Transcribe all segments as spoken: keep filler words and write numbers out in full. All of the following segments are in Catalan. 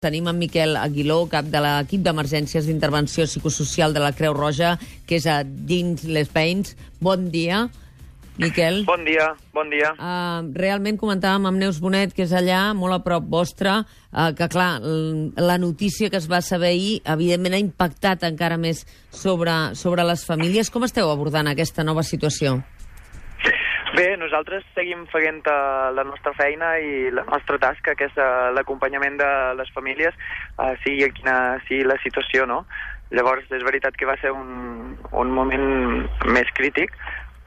Tenim en Miquel Aguiló, cap de l'equip d'emergències d'intervenció psicosocial de la Creu Roja, que és a dins les Veïns. Bon dia, Miquel. Bon dia, bon dia. Uh, realment comentàvem amb Neus Bonet, que és allà, molt a prop vostre, uh, que clar, la notícia que es va saber ahir, evidentment ha impactat encara més sobre, sobre les famílies. Com esteu abordant aquesta nova situació? Bé, nosaltres seguim fent uh, la nostra feina i la nostra tasca, que és uh, l'acompanyament de les famílies, uh, sigui quina sigui la situació, no? Llavors, és veritat que va ser un, un moment més crític,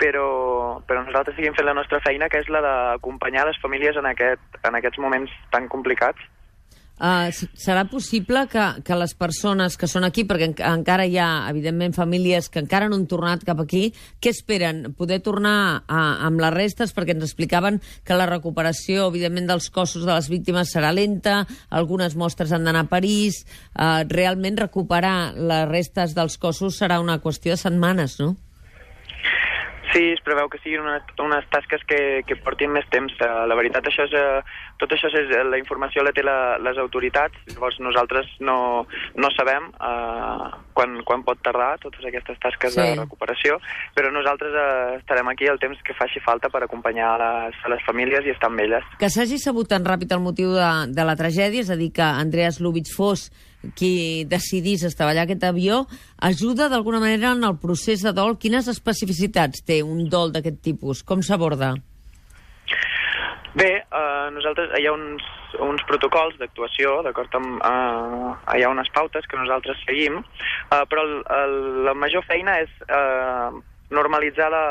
però, però nosaltres seguim fent la nostra feina, que és la d'acompanyar les famílies en, aquest, en aquests moments tan complicats. Uh, serà possible que, que les persones que són aquí, perquè en, encara hi ha, evidentment, famílies que encara no han tornat cap aquí, què esperen? Poder tornar a, amb les restes? Perquè ens explicaven que la recuperació, evidentment, dels cossos de les víctimes serà lenta, algunes mostres han d'anar a París, uh, realment recuperar les restes dels cossos serà una qüestió de setmanes, no? Sí, es preveu que siguin unes, unes tasques que, que portin més temps. Uh, la veritat, això és, uh, tot això és, la informació la té la, les autoritats, llavors nosaltres no, no sabem uh, quan, quan pot tardar totes aquestes tasques sí. de recuperació, però nosaltres uh, estarem aquí el temps que faci falta per acompanyar a les, a les famílies i estar amb elles. Que s'hagi sabut tan ràpid el motiu de, de la tragèdia, és a dir, que Andreas Lubitsch fos qui decidís estavellar aquest avió, ajuda d'alguna manera en el procés de dol? Quines especificitats té un dol d'aquest tipus? Com s'aborda? Bé, eh, nosaltres hi ha uns, uns protocols d'actuació, d'acord amb... Eh, hi ha unes pautes que nosaltres seguim, eh, però el, el, la major feina és eh, normalitzar la,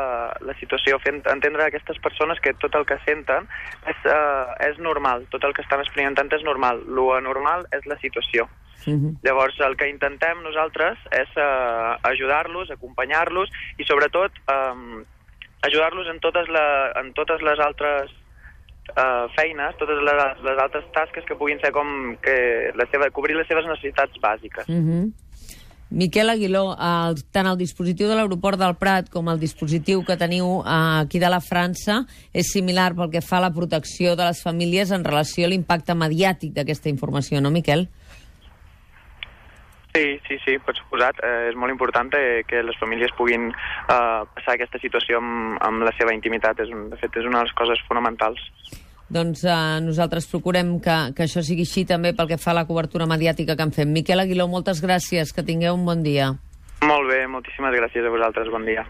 la situació, fent entendre a aquestes persones que tot el que senten és, eh, és normal, tot el que estan experimentant és normal, lo anormal és la situació. Uh-huh. Llavors, el que intentem nosaltres és uh, ajudar-los, acompanyar-los i, sobretot, um, ajudar-los en totes, la, en totes les altres uh, feines, totes les, les altres tasques que puguin ser com que la seva, cobrir les seves necessitats bàsiques. Uh-huh. Miquel Aguiló, el, tant el dispositiu de l'aeroport del Prat com el dispositiu que teniu uh, aquí de la França és similar pel que fa a la protecció de les famílies en relació a l'impacte mediàtic d'aquesta informació, no, Miquel? Sí, sí, sí, per suposat. Eh, és molt important eh, que les famílies puguin eh, passar aquesta situació amb, amb la seva intimitat. És un, de fet, és una de les coses fonamentals. Doncs eh, nosaltres procurem que, que això sigui així també pel que fa a la cobertura mediàtica que en fem. Miquel Aguiló, moltes gràcies, que tingueu un bon dia. Molt bé, moltíssimes gràcies a vosaltres, bon dia.